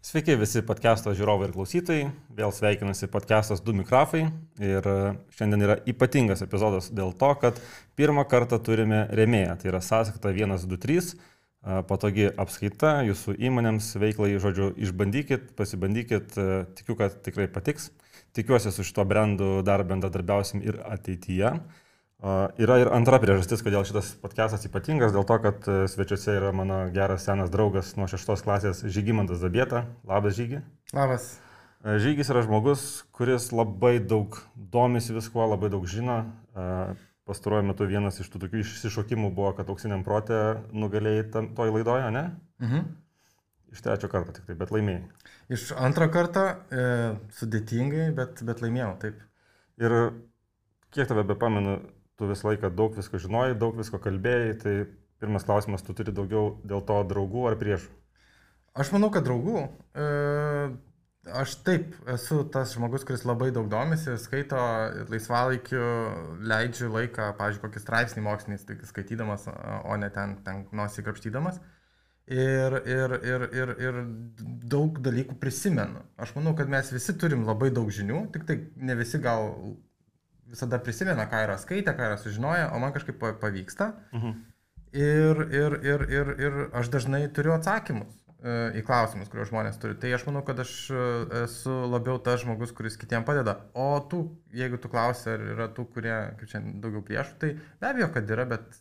Sveiki visi podcast'o žiūrovai ir klausytojai. Vėl sveikinasi podcast'as Du mikrofai. Ir šiandien yra ypatingas epizodas dėl to, kad pirmą kartą turime rėmėją. Tai yra sąskaita 123, patogi apskaita jūsų įmonėms veiklai. Žodžiu, išbandykit, pasibandykit, tikiu, kad tikrai patiks. Tikiuosi su šito brandu dar bendradarbiausim ir ateityje. Yra ir antra priežastis, kodėl šitas podcastas ypatingas, dėl to, kad svečiuose yra mano geras senas draugas nuo 6 klasės Žygimantas Zabieta. Labas, Žygi. Labas. Žygis yra žmogus, kuris labai daug domisi viskuo, labai daug žino. Pastaruoju metu vienas iš tų tokių išsišokimų buvo, kad auksiniam protė nugalėjai toj laidoje, ne? Iš trečio karto tik tai, bet laimėjai. Iš antro karto sudėtingai, bet laimėjau, taip. Ir kiek tave bepamenu, tu visą laiką daug visko žinojai, daug visko kalbėjai, tai pirmas klausimas, tu turi daugiau dėl to draugų ar priešų? Aš manau, kad draugų. Aš taip esu tas žmogus, kuris labai daug domisi, skaito laisvalaikiu, leidžiu laiką, pavyzdžiui, kokį straipsnį mokslinį skaitydamas, o ne ten nosį krapštydamas. Ir daug dalykų prisimenu. Aš manau, kad mes visi turim labai daug žinių, tik tai ne visi gal visada prisimena, ką yra skaitę, ką yra sužinoję, o man kažkaip pavyksta. Ir aš dažnai turiu atsakymus į klausimus, kuriuos žmonės turi. Tai aš manau, kad aš esu labiau tas žmogus, kuris kitiem padeda. O tu, jeigu tu klausi, ar yra tų, kurie, kaip čia, daugiau priešų, tai be abejo, kad yra, bet...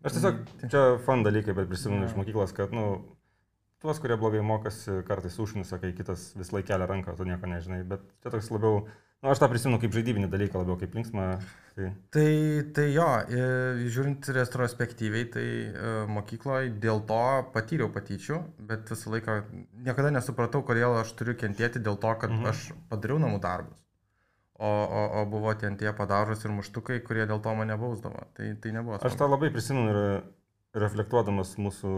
Aš tiesiog, čia fun dalykai, bet prisimenu iš mokyklos, kad, tuos, kurie blogai mokosi, kartais užnisa, kai kitas vis laik kelia ranką, tu nieko nežinai, bet čia toks labiau... aš tą prisimenu kaip žaidybinį dalyką, labiau kaip linksmą. Tai jo, žiūrint retrospektyviai, tai mokykloje dėl to patyriau patyčių, bet visą laiką niekada nesupratau, kodėl aš turiu kentėti dėl to, kad aš padariau namų darbus. O buvo tie padažos ir muštukai, kurie dėl to mane bausdavo. Tai nebuvo. Aš tą labai prisimenu ir reflektuodamas mūsų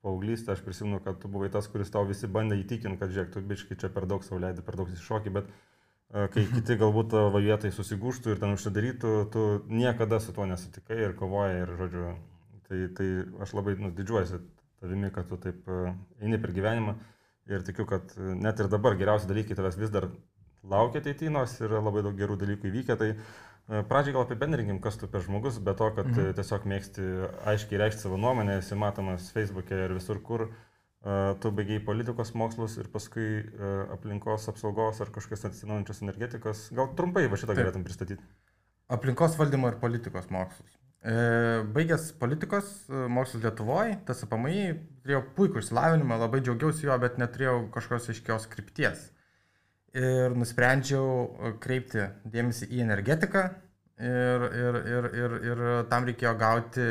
paauglystę, aš prisimenu, kad tu buvai tas, kuris tau visi bandė įtikinti, kad žiūrėk, tu biškai čia per daug sau leidai, per daug įsišokį, bet kai kiti galbūt tavo vietai susigūštų ir ten užsidarytų, tu niekada su tuo nesutikai ir kovojai ir, žodžiu, tai aš labai didžiuojuosi tavimi, kad tu taip eini per gyvenimą ir tikiu, kad net ir dabar geriausi dalykai tavęs vis dar laukia ateityje, nors yra labai daug gerų dalykų įvykę, tai pradžiai gal apibendrinkim, kas tu per žmogus, be to, kad tiesiog mėgsti aiškiai reikšti savo nuomonę, esi matomas Facebook'e ir visur kur. Tu baigiai politikos mokslus ir paskui aplinkos apsaugos ar kažkokios atsinaujinančios energetikos. Gal trumpai va šitą galėtum pristatyti? Aplinkos valdymo ir politikos mokslus. Baigęs politikos mokslus Lietuvoje, TSPMI, turėjau puikų išsilavinimą, labai džiaugiausi juo, bet neturėjau kažkokios aiškios krypties. Ir nusprendžiau kreipti dėmesį į energetiką ir tam reikėjo gauti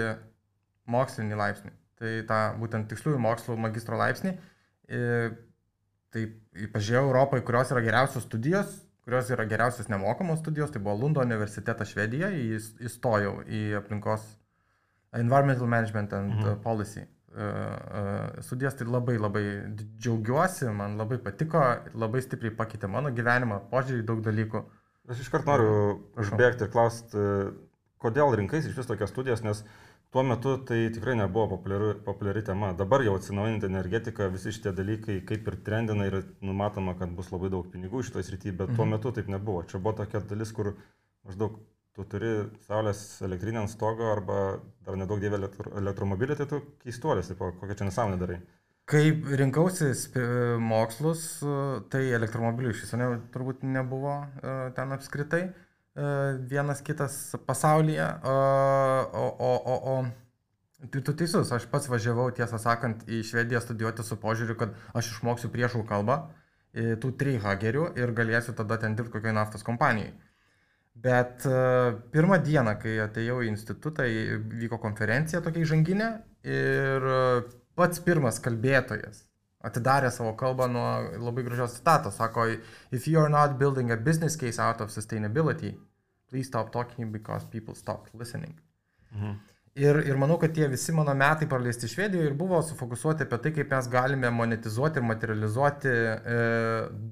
mokslinį laipsnį. Tai tą būtent tiksliųjų mokslų magistro laipsnį. Tai pažiūrėjau Europoje, kurios yra geriausios studijos, kurios yra geriausios nemokamos studijos, tai buvo Lundo universitetas Švedija, įstojau į aplinkos Environmental Management and Policy studijas, tai labai džiaugiuosi, man labai patiko, labai stipriai pakeitė mano gyvenimą, požiūrį daug dalykų. Aš iškart noriu užbėgti ir klausti, kodėl rinkais iš vis tokias studijas, nes tuo metu tai tikrai nebuvo populiari tema. Dabar jau atsinaujinti energetika, visi šitie dalykai kaip ir trendina ir numatoma, kad bus labai daug pinigų šitoje srityje, bet tuo metu taip nebuvo. Čia buvo tokia dalis, kur maždaug tu turi saulės elektrinę ant stogo arba dar nedaug dievė elektromobilį, tai tu keistuolis, kokią čia nesąmonę darai. Kai rinkausi mokslus, tai elektromobilių iš viso turbūt nebuvo ten apskritai. Vienas kitas pasaulyje, tu teisus, aš pats važiavau, tiesą sakant, į Švediją studijuoti su požiūriu, kad aš išmoksiu priešų kalbą, tų trihagerių ir galėsiu tada ten dirbti kokioje naftos kompanijai. Bet pirmą dieną, kai atėjau į institutą, vyko konferencija tokia įžanginė ir pats pirmas kalbėtojas atidarė savo kalbą nuo labai gražios citatos. Sako, if you are not building a business case out of sustainability, please stop talking because people stop listening. Ir manau, kad tie visi mano metai praleisti Švedijoje ir buvo sufokusuoti apie tai, kaip mes galime monetizuoti ir materializuoti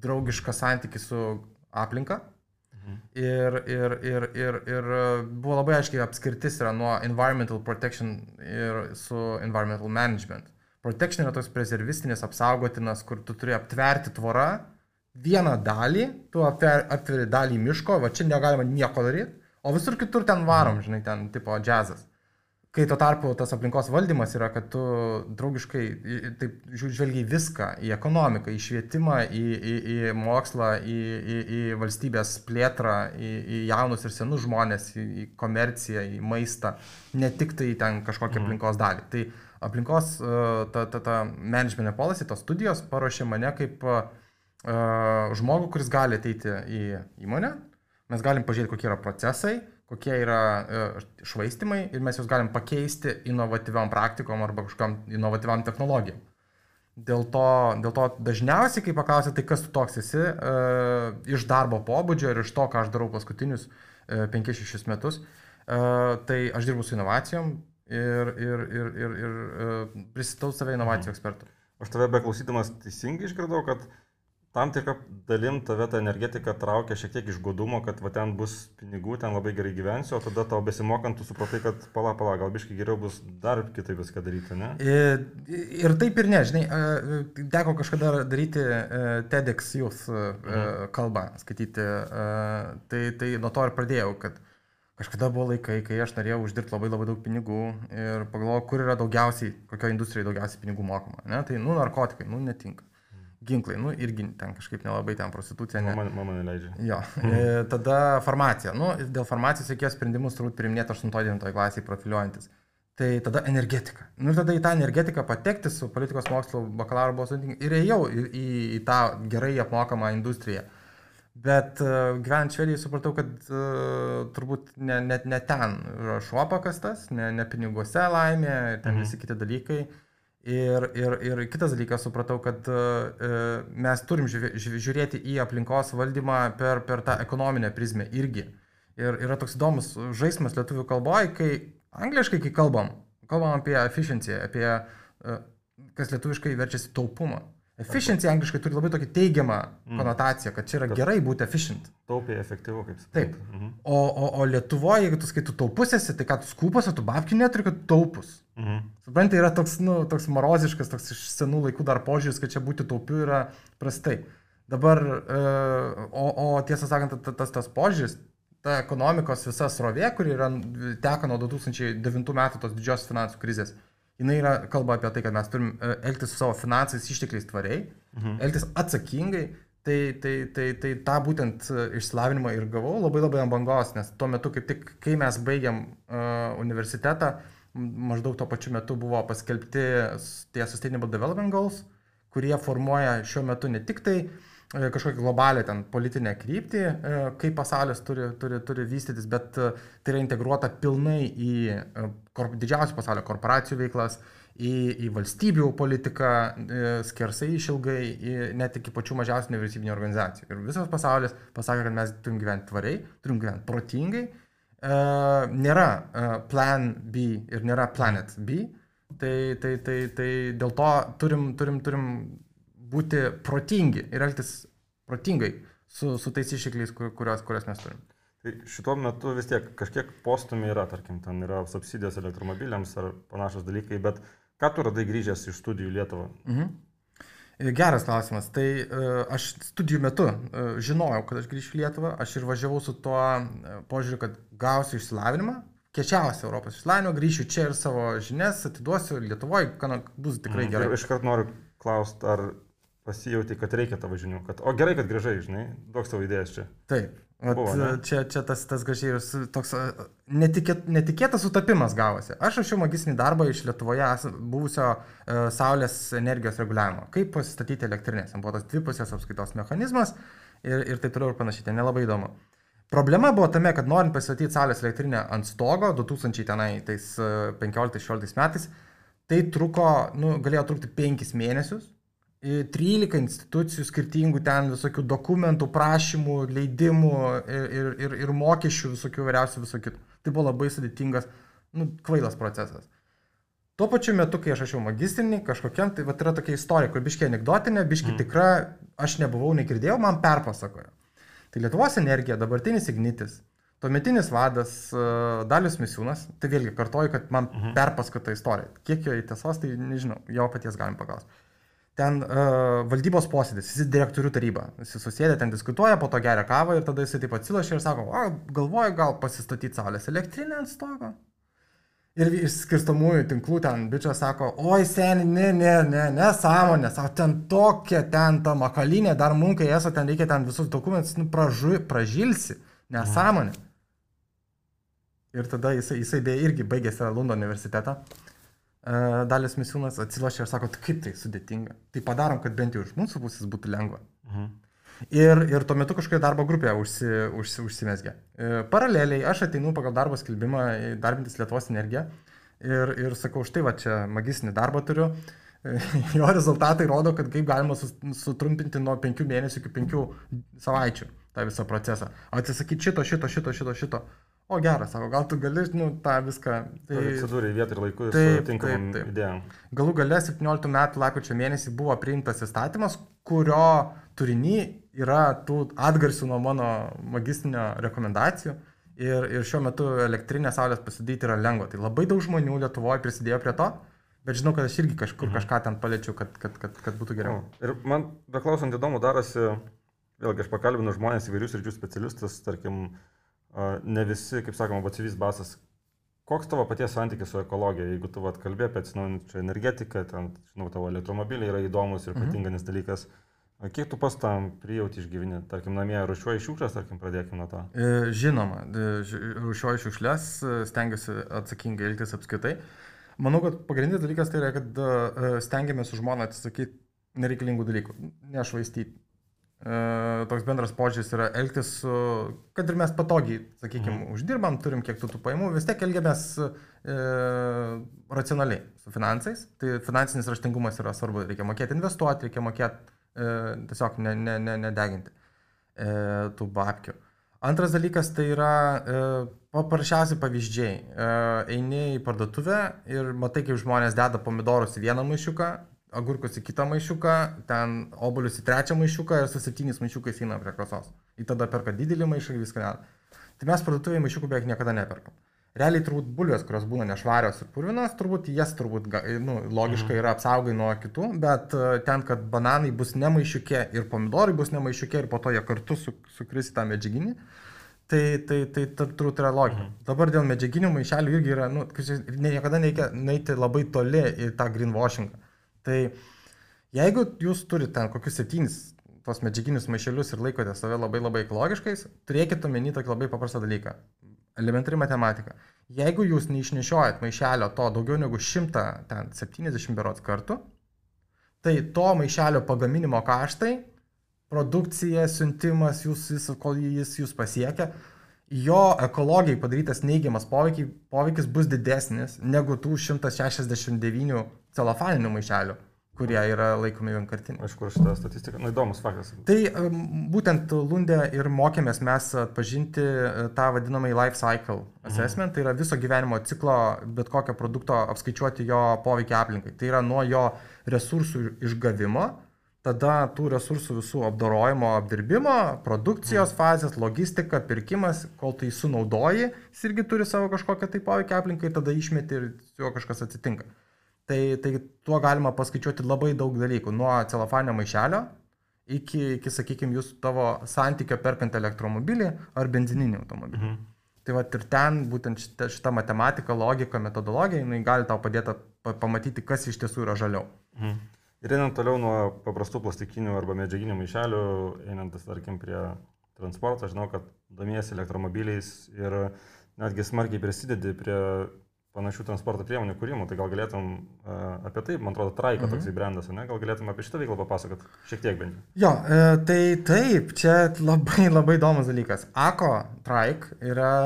draugišką santykį su aplinka. Ir buvo labai aiškiai apskirtis yra nuo environmental protection ir su environmental management. Protection yra toks prezervistinis apsaugotinas, kur tu turi aptverti tvorą, vieną dalį, tu aptveri dalį miško, va čia negalima nieko daryti, o visur kitur ten varom, žinai, ten tipo džiazas. Kai tuo tarpu tas aplinkos valdymas yra, kad tu draugiškai taip žvelgiai viską, į ekonomiką, į švietimą, į mokslą, į valstybės plėtrą, į jaunus ir senus žmonės, į komerciją, į maistą, ne tik tai ten kažkokią aplinkos dalį. Tai aplinkos ta management policy, tos studijos paruošė mane kaip žmogų, kuris gali ateiti į įmonę, mes galim pažiūrėti, kokie yra procesai, kokie yra švaistimai ir mes juos galim pakeisti inovatyviom praktikom arba kažkam inovatyviam technologijom. Dėl to dažniausiai, kai paklausia, tai kas tu toks esi, iš darbo pobūdžio ir iš to, ką aš darau paskutinius 5-6 metus, tai aš dirbu su inovacijom ir pristatau save inovacijų ekspertų. Aš tave beklausydamas teisingai išgirdau, kad tam tikrą dalim tave ta energetika traukia šiek tiek iš godumo, kad va ten bus pinigų, ten labai gerai gyvensiu, o tada tau besimokant tu supratai, kad pala, gal biškai geriau bus dar kitaip viską daryti, ne? Ir taip ir ne, žinai, teko kažkada daryti TEDx Youth kalbą, skaityti, tai nuo to ir pradėjau, kad kažkada buvo laikai, kai aš norėjau uždirbti labai daug pinigų ir pagalvojau, kur yra daugiausiai, kokio industrijai daugiausiai pinigų mokama, ne? Tai, narkotikai, netinka. Ginklai, irgi ten kažkaip nelabai ten prostitucija. Mama neleidžia. Jo. Tada farmacija. Dėl farmacijos reikėjo sprendimus turbūt priminėti 8-9 klasiai profiliuojantis. Tai tada energetika. Ir tada į tą energetiką patekti su politikos mokslo bakalauro buvo sudėtinga. Ir ėjau į tą gerai apmokamą industriją. Bet gyvenant Švedijai supratau, kad turbūt ne ten šuo pakastas, ne piniguose laimė, ten visi kiti dalykai. Ir kitas dalykas, supratau, kad mes turim žiūrėti į aplinkos valdymą per tą ekonominę prizmę irgi. Ir yra toks įdomus žaismas lietuvių kalboje, kai angliškai, kai kalbam apie efficiency, apie kas lietuviškai verčiasi taupumą. Efficiency angliškai turi labai tokį teigiamą konotaciją, kad čia yra gerai būti efficient. Taupiai, efektyvu, kaip sakai. Taip. O Lietuvoje, jeigu tu skaitų taupus esi, tai ką tu skūpas, o tu babkių neturi, kad taupus. Suprantai, yra toks moroziškas, toks iš senų laikų dar požiūris, kad čia būti taupiu yra prastai. Dabar, o tiesą sakant, tas požiūris, ta ekonomikos visa srovė, kuri teka nuo 2009 metų tos didžios finansų krizės, jinai kalba apie tai, kad mes turim elgtis su savo finansais ištekliais tvariai, elgtis atsakingai, tai tą būtent išsilavinimą ir gavau labai ant bangos, nes tuo metu, kaip tik, kai mes baigiam universitetą, maždaug tuo pačiu metu buvo paskelbti tie Sustainable Development Goals, kurie formuoja šiuo metu ne tik tai kažkokią globalią ten politinę kryptį, kaip pasaulis turi vystytis, bet tai yra integruota pilnai į didžiausių pasaulio korporacijų veiklas, į valstybių politiką, skersai išilgai, net iki pačių mažiausių nevyriausybinių organizacijų. Ir visas pasaulis pasakė, kad mes turim gyventi tvariai, turim gyventi protingai, nėra plan B ir nėra planet B, tai dėl to turim būti protingi ir elgtis protingai su tais ištekliais, kuriuos mes turim. Tai šituo metu vis tiek kažkiek postumai yra, tarkim, ten yra subsidijos elektromobiliams ar panašus dalykai, bet ką tu radai grįžęs iš studijų Lietuvą? Geras klausimas. Tai aš studijų metu žinojau, kad aš grįšiu į Lietuvą, aš ir važiavau su tuo požiūriu, kad gausiu išsilavinimą, kiečiausią Europos išsilavinimą, grįšiu čia ir savo žinias atiduosiu Lietuvoje, bus tikrai gerai. Ir iškart noriu klausti, ar pasijauti, kad reikia tavo žinių, o gerai, kad grįžai, žinai, duok savo idėjas čia. Taip, čia tas gražiai ir toks netikėtas sutapimas gavosi. Aš rašiau magistrinį darbą iš Lietuvoje buvusio saulės energijos reguliavimo, kaip pasistatyti elektrinės. Buvo tas dvipusės apskaitos mechanizmas ir taip toliau ir panašiai, ten nelabai įdomu. Problema buvo tame, kad norint pasistatyti saulės elektrinę ant stogo 2015-16 metais, tai galėjo trukti 5 mėnesius. 13 institucijų skirtingų ten visokių dokumentų, prašymų, leidimų ir mokesčių visokių vairiausių visokių. Tai buvo labai sudėtingas, kvailas procesas. Tuo pačiu metu, kai aš rašiau magistrinį kažkokiam, tai yra tokia istorija, kur biškiai anekdotinė, biškiai tikra, aš nebuvau, negirdėjau, man perpasakojo. Tai Lietuvos energija, dabartinis Ignitis, Tuometinis vadas Dalius Misiūnas, tai vėlgi kartoju, kad man perpaskata istorija. Kiek jo į tiesos, tai nežinau, jo paties galim paklausti. Ten valdybos posėdis, jis direktorių taryba. Jis susėdė, ten diskutuoja, po to geria kavą ir tada jis taip atsilošia ir sako, galvoju gal pasistatyti saulės elektrinę ant stogo. Ir iš skirstamųjų tinklų ten bičias sako, oi seni, nesąmonė, sako, ten tokia, ten ta makalinė, dar munkai esu, ten reikia ten visus dokumentus, pražilsi, nesąmonė. Ir tada jisai beje irgi baigėsi Lundo universitetą. Dalius Misiūnas atsilošia ir sako, kaip tai sudėtinga. Tai padarom, kad bent jau iš mūsų pusės būtų lengva. Ir tuo metu kažkokia darbo grupė užsimesgė. Paraleliai aš ateinu pagal darbo skelbimą darbintis Lietuvos energiją ir sakau, štai va čia magistrinį darbą turiu. Jo rezultatai rodo, kad kaip galima sutrumpinti nuo 5 mėnesių iki 5 savaičių tą visą procesą. Atsisakyti šito. O geras, sako, gal tu gali, tą viską... Tai atsidūrė vietą ir laiku su tinkamam idėjom. Galų gale 17 metų lapkričio mėnesį buvo priimtas įstatymas, kurio turinį yra tų atgarsių nuo mano magistrinio rekomendacijų ir šiuo metu elektrinę saulės pasidaryti yra lengva. Tai labai daug žmonių Lietuvoje prisidėjo prie to, bet žinau, kad aš irgi kažkur kažką ten paliečiau, kad būtų geriau. Ir man beklausant įdomu darosi, vėlgi aš pakalbinu žmonės įvairius ryčių specialistus, tarkim, ne visi, kaip sakoma, batsiuvys basas. Koks tavo paties santykis su ekologija? Jeigu tu kalbė apie atsinaujinančią energetiką, ten, žinau, tavo elektromobiliai yra įdomus ir patinkanis dalykas. Kiek tu pas tam prijauti išgyveni? Tarkim, namie rūšiuoji šiukšlės, tarkim, pradėkime nuo to. Žinoma, rūšiuoju šiukšlės, stengiuosi atsakingai elgtis apskritai. Manau, kad pagrindinis dalykas tai yra, kad stengiamės su žmona atsisakyti nereikalingų dalykų, nešvaistyti. Toks bendras požiūris yra elgtis su, kad ir mes patogiai, sakykime, uždirbam, turim kiek tų pajamų, vis tiek elgiamės racionaliai su finansais. Tai finansinis raštingumas yra svarbu, reikia mokėti investuoti, reikia mokėti tiesiog nedeginti tų babkių. Antras dalykas tai yra paprasčiausiai pavyzdžiai. Eini į parduotuvę ir matai, kaip žmonės deda pomidorus į vieną maišiuką, agurkus į kitą maišiuką, ten obuolius į trečią maišiuką ir su 7 maišiukais eina prie kasos. Ir tada perka didelį maišą ir viską net. Tai mes parduotuvėje maišiukų beveik niekada neperkam. Realiai turbūt bulvės, kurios būna nešvarios ir purvinos, turbūt jas logiškai yra apsaugai nuo kitų, bet ten, kad bananai bus ne maišiukė ir pomidorai bus ne maišiukė ir po to jie kartu sukris į tą medžiaginį, tai turbūt yra logika. Dabar dėl medžiaginių maišelių irgi yra, niekada nereikia neiti labai toli į tą greenwashingą. Tai jeigu jūs turite ten kokius 7 tos medžiaginius maišelius ir laikote save labai labai ekologiškais, turėkite omeny tokį labai paprastą dalyką. Elementari matematika. Jeigu jūs neišnešiojat maišelio to daugiau negu 170 berods kartų, tai to maišelio pagaminimo kaštai, produkcija, siuntimas, kol jis jūs pasiekia, jo ekologijai padarytas neigiamas poveikis bus didesnis negu tų 169 celofaninių maišelių, kurie yra laikomi vienkartiniai. Aišku, šitą statistiką, įdomus faktas. Tai būtent Lunde ir mokėmės mes atpažinti tą vadinamą life cycle assessment, tai yra viso gyvenimo ciklo, bet kokio produkto apskaičiuoti jo poveikį aplinkai. Tai yra nuo jo resursų išgavimo, tada tų resursų visų apdorojimo, apdirbimo, produkcijos fazės, logistika, pirkimas, kol tai sunaudoji, jis irgi turi savo kažkokią tai poveikį aplinkai, tada išmeti ir su juo kažkas atsitinka. Tai tuo galima paskaičiuoti labai daug dalykų, nuo celofaninio maišelio iki sakykime, jūsų tavo santykio perkant elektromobilį ar benzininį automobilį. Tai va ir ten būtent šita matematika, logika, metodologija, jinai gali tau padėti pamatyti, kas iš tiesų yra žaliau. Ir einant toliau nuo paprastų plastikinių arba medžiaginių maišelių, einant, tarkim, prie transporto, aš žinau, kad domiesi elektromobiliais ir netgi smarkiai prisidedi prie panašių transporto priemonių kūrimų, tai gal galėtum apie tai, man atrodo, Traiko toksai brandas, ne? Gal galėtum apie šitą veiklą papasakot šiek tiek bent. Jo, tai taip, čia labai įdomus dalykas. ACO Traik yra,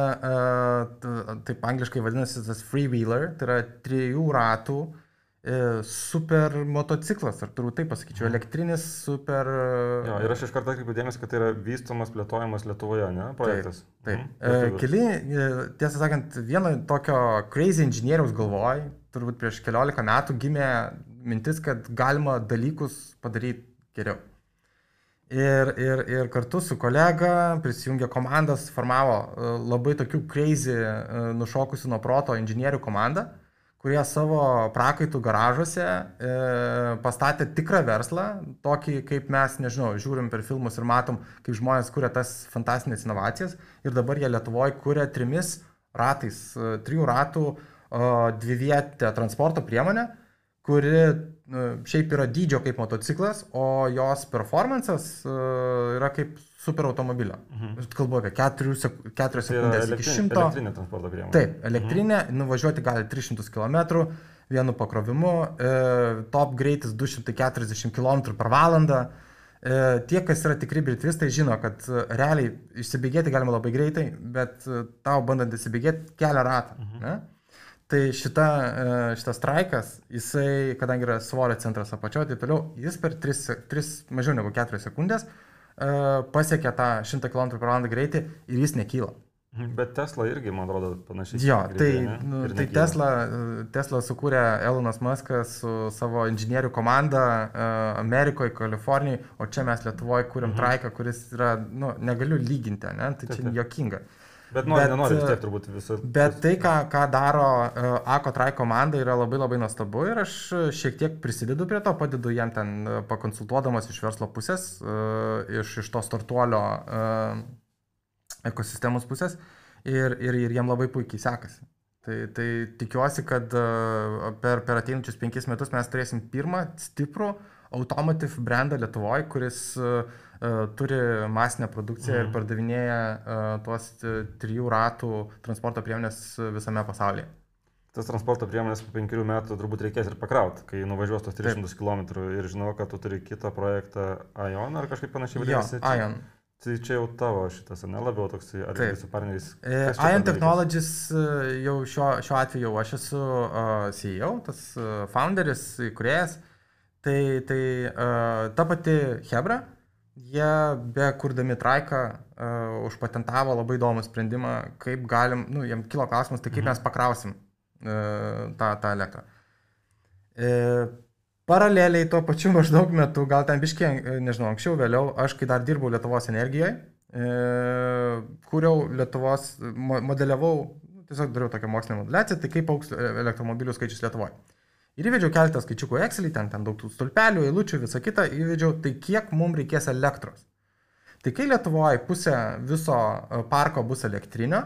taip angliškai vadinasi, tas freewheeler, tai yra 3 ratų super motociklas, ar turbūt taip pasakyčiau, elektrinis super... Jo, ir aš iš karto atkreipiu dėmesį, kad tai yra vystomas, plėtojamas Lietuvoje, ne, projektas. Taip. Keli, tiesą sakant, vieno tokio crazy inžinieriaus galvoj, turbūt prieš 14 metų gimė mintis, kad galima dalykus padaryti geriau. Ir kartu su kolega prisijungė komandas, formavo labai tokių crazy, nušokusių nuo proto inžinierių komandą, kurie savo prakaitų garažuose pastatė tikrą verslą, tokį kaip mes, nežinau, žiūrim per filmus ir matom, kaip žmonės kuria tas fantastinės inovacijas. Ir dabar jie Lietuvoje kuria 3 ratų dvivietę transporto priemonę, kuri šiaip yra dydžio kaip motociklas, o jos performances yra kaip superautomobilio. Kalbu apie 4 sekundės iki 100. Elektrinė transporto priemonė. Taip, elektrinė, nuvažiuoti gali 300 km vienu pakrovimu, top greitis 240 km per valandą. Tie, kas yra tikri britvistai, žino, kad realiai išsibėgėti galima labai greitai, bet tau bandant įsibėgėti kelia ratą. Ne? Tai šitas traikas, jisai, kadangi yra svorio centras apačioje, tai toliau jis per 3 mažiau negu 4 sekundės pasiekia tą 100 km/h greitį ir jis nekyla. Bet Tesla irgi, man atrodo, panašiai. Jo, tai Tesla sukūrė Elonas Muskas su savo inžinierių komanda Amerikoje, Kalifornijoje, o čia mes Lietuvoje kūrėm traiką, kuris yra, negaliu lyginti, ne? Tai čia juokinga. Bet nenori vis tiek turbūt visą. Bet tai, ką daro Akotrai komanda, yra labai labai nuostabu ir aš šiek tiek prisidedu prie to, padedu jiem ten pakonsultuodamas iš verslo pusės, iš to startuolio ekosistemos pusės ir jiem labai puikiai sekasi. Tai tikiuosi, kad per ateinančius 5 metus mes turėsim pirmą stiprų automotive brandą Lietuvoje, kuris turi masinę produkciją ir pardavinėja tuos 3 ratų transporto priemonės visame pasaulyje. Tas transporto priemonės po 5 metų turbūt reikės ir pakrauti, kai nuvažiuos tos 300 km ir žinau, kad tu turi kitą projektą Ion ar kažkaip panašiai vadinasi. Jo, Ion. Tai čia jau tavo šitas, ne labiau toks, ar su partneriais? Ion Technologies jau šiuo atveju aš esu CEO, tas founderis, įkūrėjas. Tai ta pati Hebra, jie be kurdami traiką užpatentavo labai įdomų sprendimą, kaip galim, jiem kilo klausimas, tai kaip mes pakrausim tą elektrą. Paraleliai tuo pačiu maždaug metu, gal ten biškiai, nežinau, anksčiau, vėliau, aš kai dar dirbau Lietuvos energijoje, kūriau Lietuvos, modeliavau, tiesiog dariau tokią mokslinę modeliaciją, tai kaip augs elektromobilių skaičius Lietuvoje. Ir įvedžiau keletą skaičiukų Excelį, ten daug tų stulpelių, eilučių, visą kitą, įvedžiau, tai kiek mums reikės elektros. Tai kai Lietuvoje pusė viso parko bus elektrinio,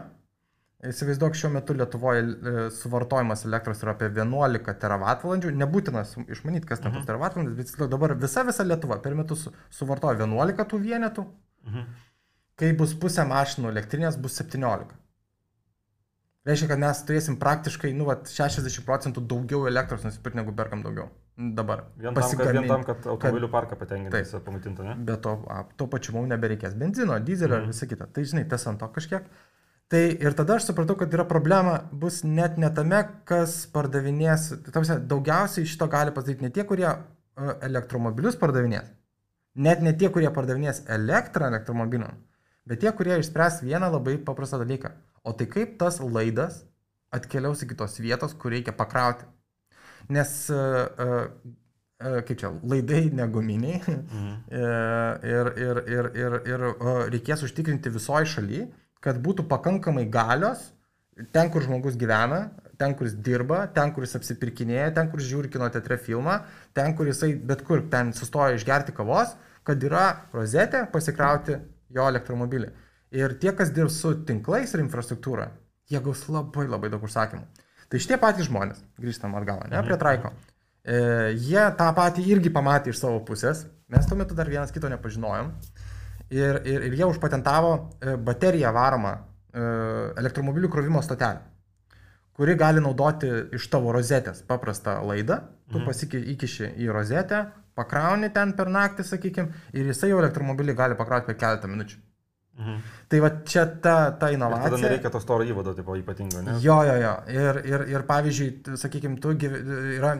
įsivaizduok, šiuo metu Lietuvoje suvartojimas elektros yra apie 11 teravatvalandžių, nebūtina išmanyti, kas ten tos teravatvalandės, bet dabar visa Lietuva per metus suvartoja 11 tų vienetų, kai bus pusė mašinų elektrinės, bus 17. Reiškia, kad mes turėsim praktiškai 60% daugiau elektros nusipirkti, negu perkam daugiau dabar. Vien tam, kad automobilių parką patenkinti, pamaitinti, ne? Bet to pačiu mums nebereikės benzino, dizelio ir visą kitą. Tai žinai, tas ant to kažkiek. Tai ir tada aš supratau, kad yra problema, bus net ne tame, kas pardavinės. Daugiausiai šito gali pasidaryti ne tie, kurie elektromobilius pardavinės, net ne tie, kurie pardavinės elektrą elektromobiliam, bet tie, kurie išspręs vieną labai paprastą dalyką. O tai kaip tas laidas atkeliaus iki tos vietos, kur reikia pakrauti. Nes, kaip čia, laidai neguminiai ir reikės užtikrinti visoje šalyje, kad būtų pakankamai galios ten, kur žmogus gyvena, ten, kur jis dirba, ten, kur jis apsipirkinėja, ten, kur jis žiūri kino teatre filmą, ten, kur jisai bet kur ten sustoja išgerti kavos, kad yra rozetė pasikrauti jo elektromobilį. Ir tie, kas dirbs su tinklais ir infrastruktūra, jie gaus labai labai daug užsakymų. Tai šitie patys žmonės, grįžtam atgal, ne, prie traiko, jie tą patį irgi pamatė iš savo pusės, mes tuo metu dar vienas kito nepažinojom, ir jie užpatentavo bateriją varomą elektromobilių krovimo stotelę, kuri gali naudoti iš tavo rozetės paprastą laidą, tu įkiši į rozetę, pakrauni ten per naktį, sakykim, ir jisai jau elektromobilį gali pakrauti per keletą minučių. Tai va čia ta inovacija. Ir tada nereikia to storo įvado ypatingo, ne? Jo. Ir pavyzdžiui, sakykime, yra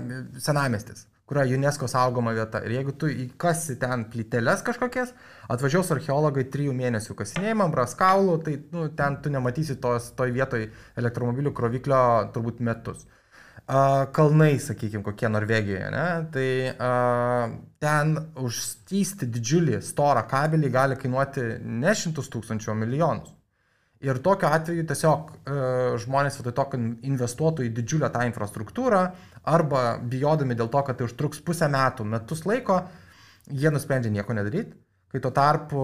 senamiestis, kur yra UNESCO saugoma vieta. Ir jeigu tu įkasi ten plyteles kažkokias, atvažiuos archeologai 3 mėnesių kasinėjimą, bras kaulų, tai ten tu nematysi toj vietoj elektromobilių kroviklio turbūt metus. kalnai, sakykime, kokie Norvegijoje, ne? Tai ten užstysti didžiulį storą kabelį gali kainuoti ne 100 000, o milijonus. Ir tokiu atveju tiesiog žmonės vietoj to, kad investuotų į didžiulę tą infrastruktūrą, arba bijodami dėl to, kad tai užtruks pusę metų, metus laiko, jie nusprendžia nieko nedaryti. Kai tuo tarpu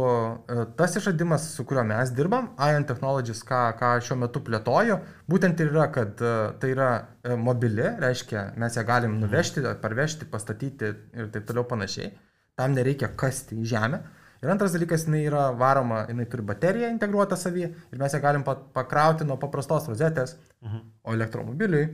tas išradimas, su kuriuo mes dirbam, Ion Technologies, ką šiuo metu plėtoju, būtent ir yra, kad tai yra mobili, reiškia, mes ją galim nuvežti, parvežti, pastatyti ir taip toliau panašiai. Tam nereikia kasti į žemę. Ir antras dalykas, jinai yra varoma, jinai turi bateriją integruotą savį ir mes ją galim pakrauti nuo paprastos rozetės, o elektromobiliui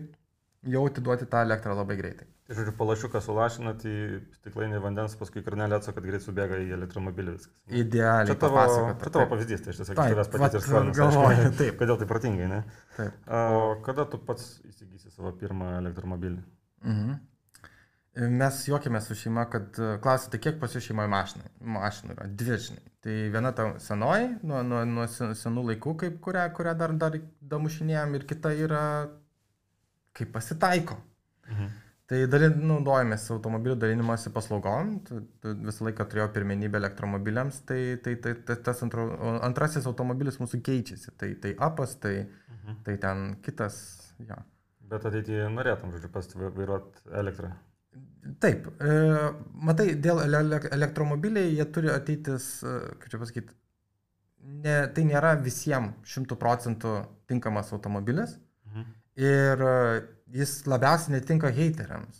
jau atiduoti tą elektrą labai greitai. Tai žodžiu, palašiuką sulašinat į stiklainį vandens, paskui karnelį atso, kad greit subėga į elektromobilį viskas. Idealiai papasakota. Čia tavo pavyzdys, tai aš tiesiog iš tavęs patys ir skolinu. Kodėl tai protingai, ne? Taip. O kada tu pats įsigysi savo pirmą elektromobilį? Mes juokėmės su šeima, kad klausite, kiek pas jų šeimoje mašinų yra? Dvi, žinai. Tai viena ta senoji, nuo senų laikų, kurią dar damušinėjom, ir kita yra, kaip pasitaiko. Tai naudojamės automobilių dalinimosi paslaugom, visą laiką turėjau pirmenybę elektromobiliams, tai tas antrasis automobilis mūsų keičiasi, tai apas, tai ten kitas, ja. Bet ateityje norėtum, žodžiu, pas vairuoti elektrą? Taip, matai, dėl elektromobiliai jie turi ateitis, kaip čia pasakyti, tai nėra visiems 100% tinkamas automobilis ir jis labiausiai netinka heiteriams.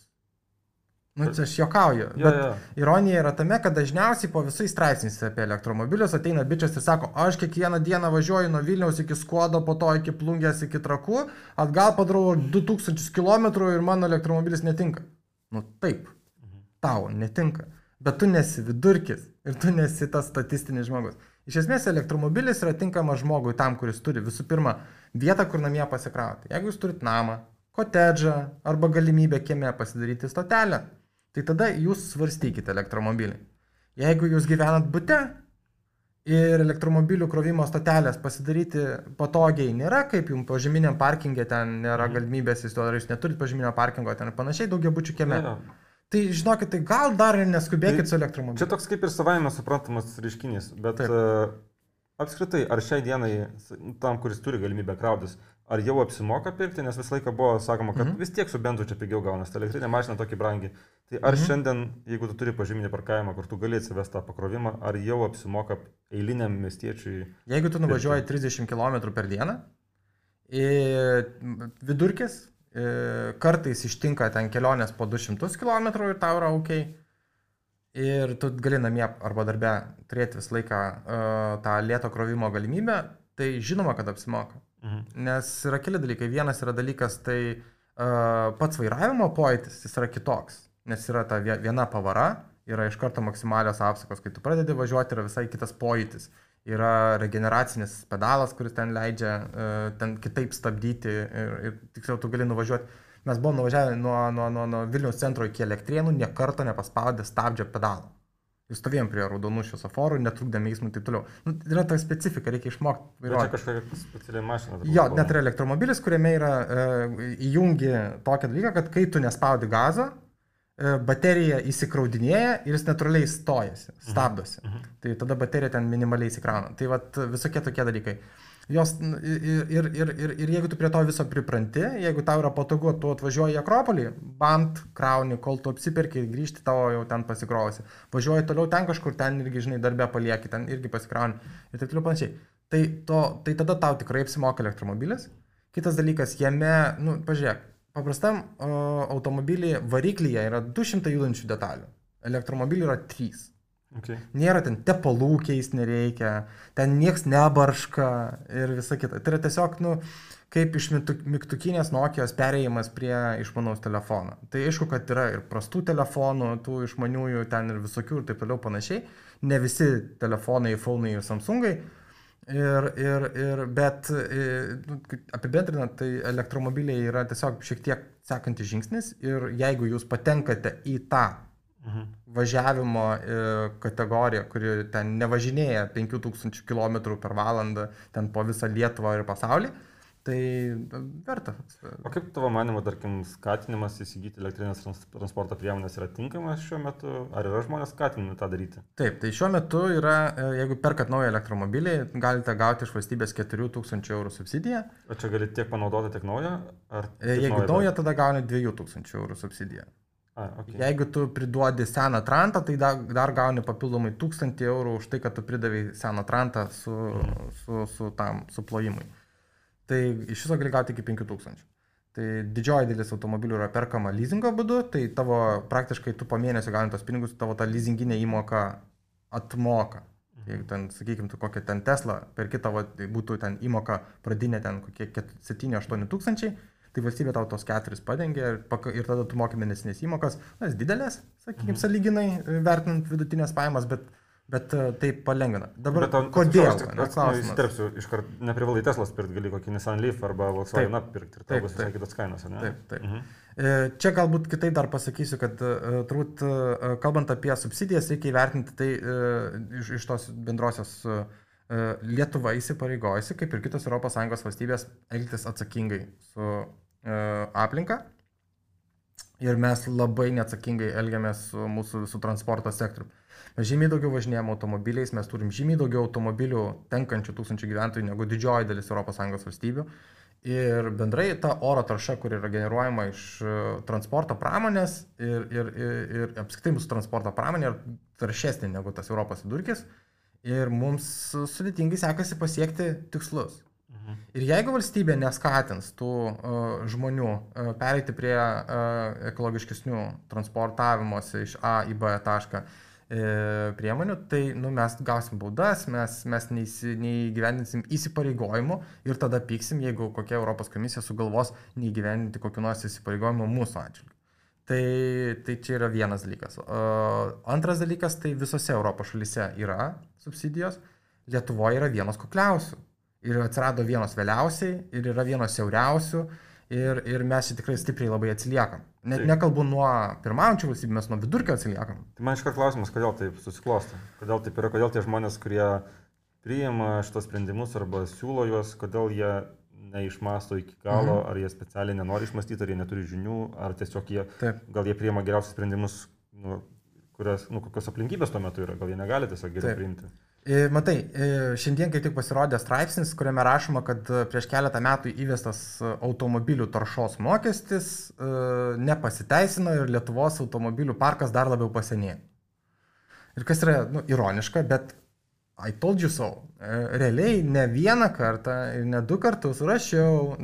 Čia aš juokauju, bet ironija yra tame, kad dažniausiai po visais straipsniais apie elektromobilius ateina bičias ir sako, aš kiekvieną dieną važiuoju nuo Vilniaus iki Skuodo, po to iki Plungės, iki Trakų, atgal padarau 2000 km ir mano elektromobilis netinka. Taip, tau netinka, bet tu nesi vidurkis ir tu nesi tas statistinis žmogus. Iš esmės elektromobilis yra tinkamas žmogui tam, kuris turi visų pirma vietą, kur namie pasikrauti. Jeigu jūs turit namą, kotedžą arba galimybę kieme pasidaryti stotelę, tai tada jūs svarstykite elektromobilį. Jeigu jūs gyvenat bute ir elektromobilių krovimo stotelės pasidaryti patogiai nėra, kaip jums požeminiam parkingė ten nėra galimybės, ar jūs neturit požeminio parkingo ten ir panašiai, daugiabučių kieme. Tai žinokit, tai gal dar neskubėkit su elektromobiliu. Čia toks kaip ir savaime suprantamas reiškinys, bet apskritai, ar šiai dienai tam, kuris turi galimybę krautis, ar jau apsimoka pirkti, nes visą laiką buvo sakoma, kad vis tiek su benzu čia pigiau gaunas, ta elektrinė mašina tokį brangi. Tai ar šiandien, jeigu tu turi požeminį parkavimą, kur tu gali atsivesti tą pakrovimą, ar jau apsimoka eiliniam miestiečiui? Jeigu tu nuvažiuoji 30 km per dieną, vidurkis, kartais ištinka ten kelionės po 200 km ir tau yra ok. Ir tu gali namie arba darbe turėti visą laiką tą lėto krovimo galimybę, tai žinoma, kad apsimoka. Nes yra keli dalykai. Vienas yra dalykas, tai pats vairavimo pojūtis, jis yra kitoks. Nes yra ta viena pavara, yra iš karto maksimalios apsukos. Kai tu pradedi važiuoti, yra visai kitas pojūtis. Yra regeneracinis pedalas, kuris ten leidžia ten kitaip stabdyti ir tiksliau tu gali nuvažiuoti. Mes buvom nuvažiavę nuo Vilniaus centro iki Elektrėnų, nė karto nepaspaudė stabdžio pedalą. Ir stovėjom prie raudonų šviesoforų, netrukdėme eismui ir taip toliau. Yra ta specifika, reikia išmokti vairuoti. Bet čia kažkokia speciali mašina. Jo, net yra elektromobilis, kuriame yra įjungi tokią dalyką, kad kai tu nespaudi gazo, baterija įsikraudinėja ir jis natūraliai stojasi, stabdosi. Tai tada baterija ten minimaliai įsikrauna. Tai vat visokie tokie dalykai. Jos, ir jeigu tu prie to viso pripranti, jeigu tau yra patogu, tu atvažiuoji į Akropolį, bant, krauni, kol tu apsiperki, grįžti, tavo jau ten pasikrovusi. Važiuoji toliau ten kažkur, ten irgi, žinai, darbę palieki, ten irgi pasikrauni ir taip toliau panašiai. Tai tada tau tikrai apsimoka elektromobilis. Kitas dalykas, jame, pažiūrėk, paprastam automobilį variklyje yra 200 judančių detalių, elektromobilį yra 3. Okay. Nėra ten tepalų keist nereikia, ten nieks nebarška ir visa kita. Tai yra tiesiog, kaip iš mygtukinės Nokijos perėjimas prie išmanaus telefono. Tai aišku, kad yra ir prastų telefonų, tų išmaniųjų ten ir visokių ir taip toliau panašiai. Ne visi telefonai, iPhone'ai ir Samsungai. Bet apibendrinant, tai elektromobiliai yra tiesiog šiek tiek sekantis žingsnis ir jeigu jūs patenkate į tą važiavimo kategoriją, kuri ten nevažinėja 5000 km per valandą ten po visą Lietuvą ir pasaulį, Tai verta. O kaip tavo manimo, tarkim, skatinimas įsigyti elektrinės transporto priemonės yra tinkamas šiuo metu? Ar yra žmonės skatinami tą daryti? Taip, tai šiuo metu yra, jeigu perkat naują elektromobilį, galite gauti iš valstybės 4000 eurų subsidiją. O čia gali tiek panaudoti, tiek naują? Jeigu naują, tada gauni 2000 eurų subsidiją. Okay. Jeigu tu priduodi seną trantą, tai dar gauni papildomai 1000 eurų už tai, kad tu pridavai seną trantą su plojimui. Tai iš viso gali gauti iki 5000. Tai didžioji dalis automobilių yra perkama leasingo būdu, tai tavo praktiškai tu po mėnesio gauni tos pinigus, tavo ta leasinginė įmoka atmoka. Jeigu ten, sakykime, tu kokią ten Tesla perki tavo, tai būtų ten įmoka pradinė ten kokie 7-8 tūkstančiai, tai valstybė tau tos 4 padengia ir tada tu moki mėnesinės įmokas, nes didelės, sakykime, sąlyginai vertinant vidutinės pajamas, bet tai palengvina. Dabar kodėl? Įsiterpsiu, iškart neprivalai Teslas pirkti, gali kokį Nissan Leaf arba Volkswagen pirkti ir tau bus visai kitos kainos, ne? Taip. Čia galbūt kitaip dar pasakysiu, kad turbūt kalbant apie subsidijas reikia įvertinti tai iš tos bendrosios Lietuva įsipareigojusi, kaip ir kitos ES valstybės, elgtis atsakingai su aplinka. Ir mes labai neatsakingai elgiamės su mūsų visų transporto sektoriumi. Mes žymiai daugiau važinėjame automobiliais, mes turim žymiai daugiau automobilių tenkančių 1000 gyventojų negu didžioji dalis ES valstybių. Ir bendrai ta oro tarša, kur yra generuojama iš transporto pramonės ir apskritai mūsų transporto pramonė yra taršesnė negu tas Europos vidurkis. Ir mums sudėtingai sekasi pasiekti tikslus. Ir jeigu valstybė neskatins tų žmonių pereiti prie ekologiškesnių transportavimosi iš A į B tašką priemonių, tai mes gausim baudas, mes neįgyvendinsim įsipareigojimų ir tada pyksim, jeigu kokia Europos komisija sugalvos neįgyvendinti kokių nors įsipareigojimų mūsų atžvilgiu. Tai čia yra vienas dalykas. Antras dalykas, tai visose Europos šalyse yra subsidijos, Lietuvoje yra vienos kukliausių. Ir atsirado vienos vėliausiai, ir yra vienos siauriausių, ir mes čia tikrai stipriai labai atsiliekam. Net nekalbu nuo pirmaujančių valstybių, mes nuo vidurkio atsiliekam. Tai man iškart klausimas, kodėl taip susiklosto? Kodėl taip yra, kodėl tie žmonės, kurie priima šitos sprendimus arba siūlo juos, kodėl jie neišmasto iki galo, ar jie specialiai nenori išmastyti, ar jie neturi žinių, ar tiesiog gal jie priima geriausius sprendimus, kokios aplinkybės tuo metu yra, gal jie negali tiesiog geriau priimti. Matai, šiandien kaip tik pasirodė straipsnis, kuriame rašoma, kad prieš keletą metų įvestas automobilių taršos mokestis nepasiteisino ir Lietuvos automobilių parkas dar labiau pasenėjo. Ir kas yra ironiška, bet I told you so. Realiai ne vieną kartą ir ne 2 kartus rašiau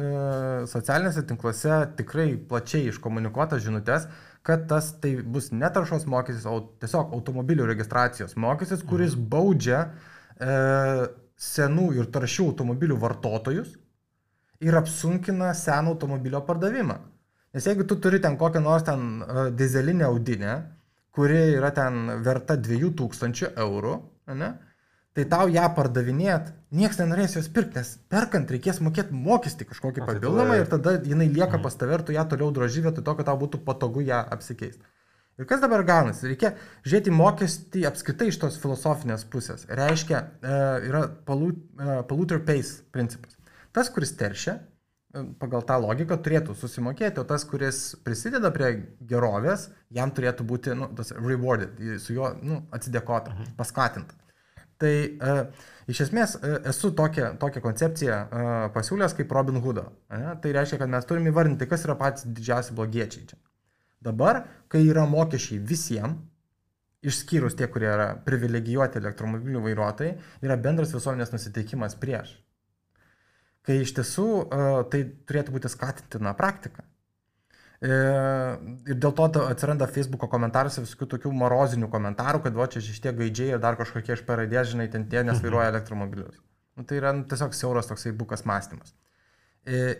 socialiniuose tinkluose tikrai plačiai iškomunikuotas žinutės, kad tai bus ne taršos mokestis, o tiesiog automobilių registracijos mokestis, kuris baudžia senų ir taršių automobilių vartotojus ir apsunkina seno automobilio pardavimą. Nes jeigu tu turi ten kokią nors ten dizelinę audinę, kuri yra ten verta 2000 eurų, ne? Tai tau ją pardavinėt, nieks nenorės jos pirkti, nes perkant reikės mokėti mokestį kažkokį papildomą ir tada jinai lieka pas tave ir tu ją toliau droži vietoj to, kad tau būtų patogu ją apsikeisti. Ir kas dabar gaunasi? Reikia žiūrėti mokestį apskritai iš tos filosofinės pusės. Reiškia, yra polluter pays principas. Tas, kuris teršia, pagal tą logiką turėtų susimokėti, o tas, kuris prisideda prie gerovės, jam turėtų būti tas rewarded, su juo atsidėkota, paskatinta. Tai iš esmės esu tokią koncepciją pasiūlęs kaip Robin Hoodo. Tai reiškia, kad mes turime įvardinti, kas yra patys didžiausi blogiečiai čia. Dabar, kai yra mokesčiai visiems, išskyrus tie, kurie yra privilegijuoti elektromobilių vairuotojai, yra bendras visuomenės nusiteikimas prieš. Kai iš tiesų tai turėtų būti skatintina praktika. Ir dėl to atsiranda Facebooko komentaruose visokių tokių morozinių komentarų, kad čia šitie gaidžiai ir dar kažkokie iš paradės, žinai, ten tie nesvairuoja elektromobilius. Tai yra tiesiog siauras toksai bukas mąstymas.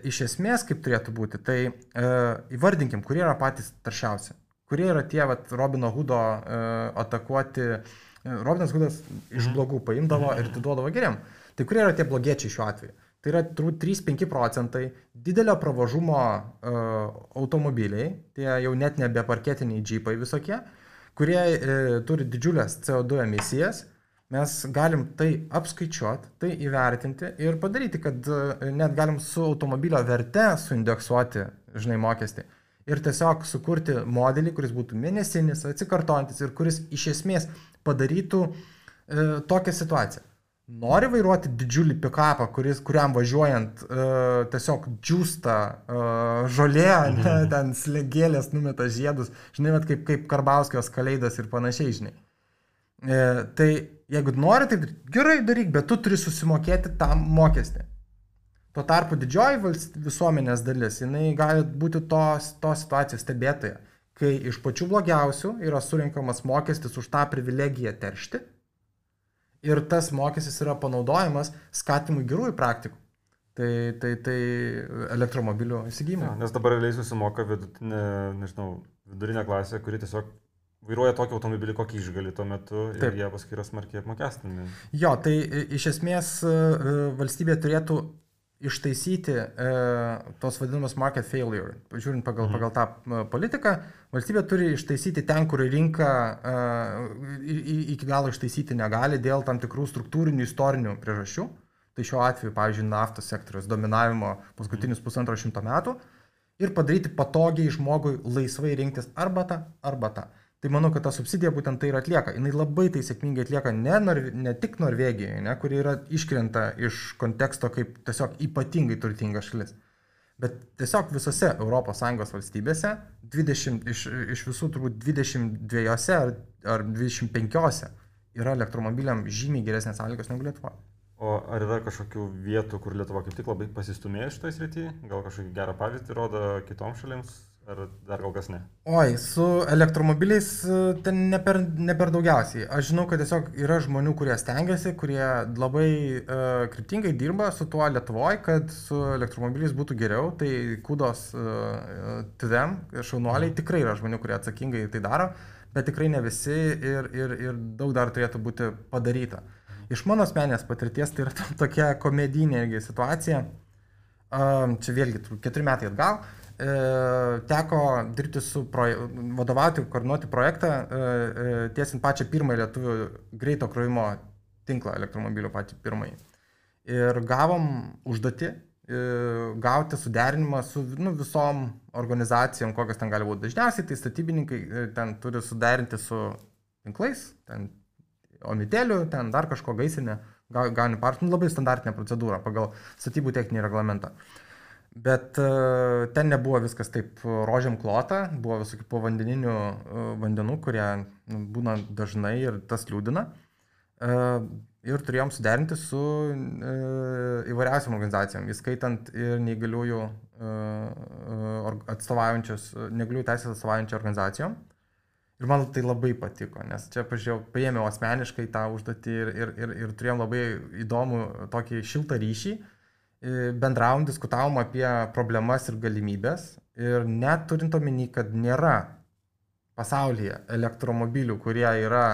Iš esmės, kaip turėtų būti, tai įvardinkim, kurie yra patys taršiausi. Kurie yra tie Robino Hoodo atakuoti. Robinas Hoodas iš blogų paimdavo ir atiduodavo geriam. Tai kurie yra tie blogiečiai šiuo atveju? Tai yra turbūt 3-5 procentai didelio pravažumo automobiliai, tie jau net nebe parketiniai džipai visokie, kurie turi didžiulės CO2 emisijas, mes galim tai apskaičiuoti, tai įvertinti ir padaryti, kad net galim su automobilio verte suindeksuoti, žinai, mokestį. Ir tiesiog sukurti modelį, kuris būtų mėnesinis, atsikartojantis ir kuris iš esmės padarytų tokią situaciją. Nori vairuoti didžiulį pikapą, kuriam važiuojant tiesiog džiūsta žolė, ten slegėlės numeta žiedus, žinai, kaip Karbauskijos Kaleidas ir panašiai, žinai. Tai jeigu nori, tai gerai daryk, bet tu turi susimokėti tam mokestį. Tuo tarpu didžioji visuomenės dalis, jinai gali būti tos situacijos stebėtoja, kai iš pačių blogiausių yra surinkamas mokestis už tą privilegiją teršti ir tas mokestis yra panaudojamas skatimui gerųjų praktikų. Tai elektromobilių įsigijimai. Nes dabar realiai susimoka vidurinė klasė, kuri tiesiog vairuoja tokį automobilį, kokį išgali tuo metu ir Taip. jie paskui yra smarkiai apmokestinami. Jo, tai iš esmės valstybė turėtų ištaisyti tos vadinamas market failure. Žiūrint pagal tą politiką, valstybė turi ištaisyti ten, kur rinka iki galo ištaisyti negali dėl tam tikrų struktūrinių istorinių priežasčių. Tai šiuo atveju, pavyzdžiui, naftos sektoriaus dominavimo paskutinius 150 metų ir padaryti patogiai žmogui laisvai rinktis arba tą. Tai manau, kad ta subsidija būtent tai ir atlieka. Jis labai tai sėkmingai atlieka ne tik Norvegijoje, kuri yra iškrenta iš konteksto kaip tiesiog ypatingai turtinga šalis, bet tiesiog visose ES valstybėse, iš visų turbūt 22 ar 25 yra elektromobiliam žymiai geresnės sąlygos negu Lietuvoje. O ar yra kažkokių vietų, kur Lietuva kaip tik labai pasistumėjo šitoje srityje? Gal kažkokį gerą pavyzdį rodo kitoms šalims? Ar dar kol kas ne? Oi, su elektromobiliais ten ne per daugiausiai. Aš žinau, kad tiesiog yra žmonių, kurie stengiasi, kurie labai kryptingai dirba su tuo Lietuvoje, kad su elektromobiliais būtų geriau. Tai kudos to them, šaunuoliai, tikrai yra žmonių, kurie atsakingai tai daro, bet tikrai ne visi ir daug dar turėtų būti padaryta. Iš mano asmenės patirties tai yra tokia komedinė situacija. Čia vėlgi 4 metai atgal. Teko dirbti vadovauti, koordinuoti projektą, tiesint pačią pirmąją lietuvių greito krovimo tinklą elektromobilių patį pirmąjį. Ir gavom užduotį gauti suderinimą su visom organizacijom, kokios ten gali būti. Dažniausiai tai statybininkai ten turi suderinti su tinklais, ten omitėlių, ten dar kažko gaisrinė, gauni partijų, labai standartinė procedūra pagal statybų techninį reglamentą. Bet ten nebuvo viskas taip rožiam klota, buvo visokių povandeninių vandenų, kurie būna dažnai ir tas liūdina. Ir turėjom suderinti su įvairiausiam organizacijom, įskaitant ir neįgaliųjų teisės atstovaujančią organizacijom. Ir man tai labai patiko, nes čia paėmiau asmeniškai tą užduotį ir turėjom labai įdomų tokį šiltą ryšį. Bendravom, diskutavom apie problemas ir galimybės ir net turint omeny, kad nėra pasaulyje elektromobilių, kurie yra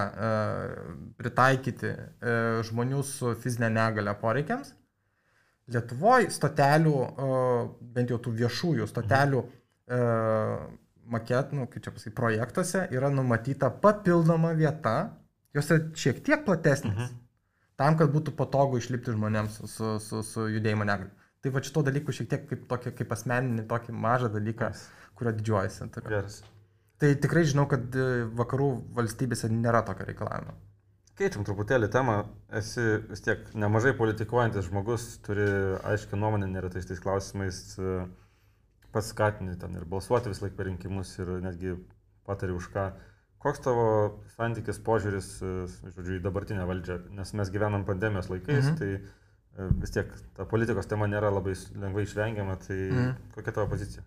pritaikyti žmonių su fizinė negalia poreikiams, Lietuvoje stotelių, bent jau tų viešųjų stotelių projektuose yra numatyta papildoma vieta, jos yra šiek tiek platesnis. Tam, kad būtų patogu išlipti žmonėms su judėjimo negalia. Tai va šito dalykų šiek tiek kaip asmeninį tokį mažą dalyką, kurio didžiuojasi. Tai tikrai žinau, kad vakarų valstybėse nėra tokio reikalavimo. Keičiam truputėlį temą. Esi vis tiek nemažai politikuojantis žmogus, turi aiškią nuomonę neretais tais klausimais, pats skatini ten ir balsuoti vis laik per rinkimus ir netgi patari už ką. Koks tavo santykis, požiūris, žodžiu, į dabartinę valdžią? Nes mes gyvenam pandemijos laikais, tai vis tiek ta politikos tema nėra labai lengvai išvengiama, tai kokia tavo pozicija?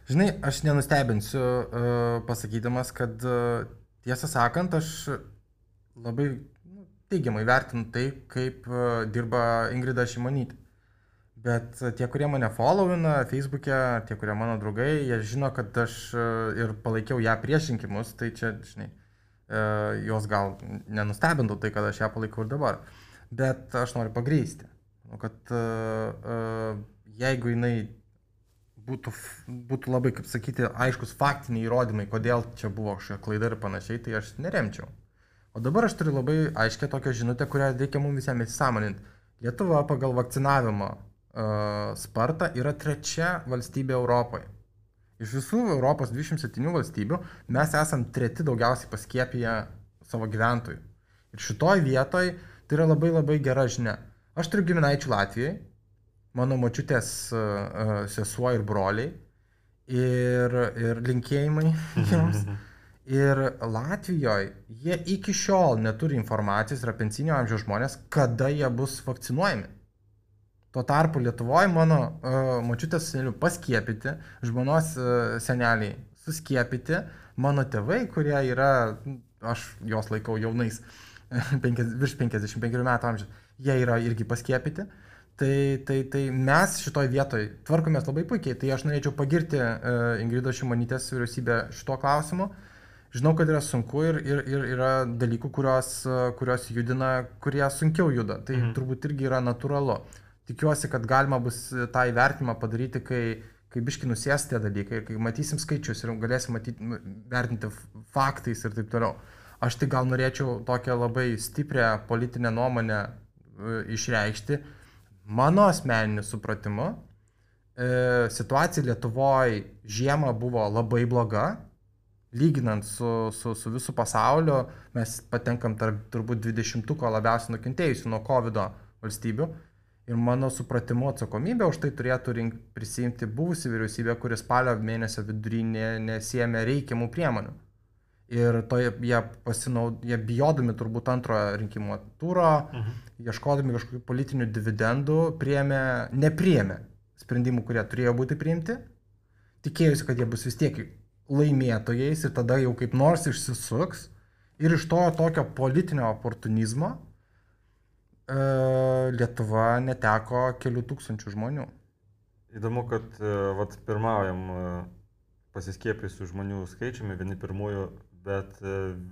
Žinai, aš nenustebinsiu pasakydamas, kad tiesą sakant, aš labai teigiamai vertinu tai, kaip dirba Ingrida Šimonytė. Bet tie, kurie mane followina Facebook'e, tie, kurie mano draugai, jie žino, kad aš ir palaikiau ją prieš rinkimus, tai čia, žinai, jos gal nenustebintų tai, kad aš ją palaikau ir dabar. Bet aš noriu pagrįsti, kad jeigu jinai būtų labai, kaip sakyti, aiškus faktiniai įrodymai, kodėl čia buvo kažkokia klaida ir panašiai, tai aš neremčiau. O dabar aš turiu labai aiškę tokią žinutę, kurią reikia mums visiems įsisąmoninti. Lietuva pagal vakcinavimo spartą yra 3 valstybė Europoje. Iš visų Europos 27 valstybių mes esam 3 daugiausiai paskiepiję savo gyventojų. Ir šitoj vietoj tai yra labai labai gera žinia. Aš turiu giminaičių Latvijai, mano močiutės sesuo ir broliai, ir linkėjimai jiems. Ir Latvijoje jie iki šiol neturi informacijos, yra pensinio amžiaus žmonės, kada jie bus vakcinuojami. Tuo tarpu Lietuvoje mano močiutės senelių paskiepyti, žmonos seneliai suskiepyti, mano tėvai, kurie yra, aš juos laikau jaunais, virš 55 metų amžiaus, jie yra irgi paskiepyti. Tai mes šitoj vietoj tvarkomės labai puikiai. Tai aš norėčiau pagirti Ingridos Šimonytės vyriausybę šito klausimu. Žinau, kad yra sunku ir yra dalykų, kurios judina, kurie sunkiau juda. Tai turbūt irgi yra natūralu. Tikiuosi, kad galima bus tą įvertinimą padaryti, kai biški nusės tie dalykai, kai matysim skaičius ir galėsim vertinti faktais ir taip toliau. Aš tik gal norėčiau tokią labai stiprią politinę nuomonę išreikšti. Mano asmeniniu supratimu, situacija Lietuvoje žiemą buvo labai bloga. Lyginant su visų pasauliu, mes patenkam tarp turbūt 20-ko labiausiai nukentėjusių nuo COVID valstybių. Ir mano supratimu atsakomybę už tai turėtų prisiimti buvusi vyriausybė, kuris spalio mėnesio vidury nesiėmė reikiamų priemonių. Ir jie bijodami turbūt antrojo rinkimų turo, ieškodami kažkokių politinių dividendų, nepriėmė sprendimų, kurie turėjo būti priimti. Tikėjusi, kad jie bus vis tiek laimėtojais ir tada jau kaip nors išsisuks. Ir iš to tokio politinio oportunizmo Lietuva neteko kelių tūkstančių žmonių. Įdomu, kad pirmaujam pasiskiepiusių žmonių skaičiumi, vieni pirmųjų, bet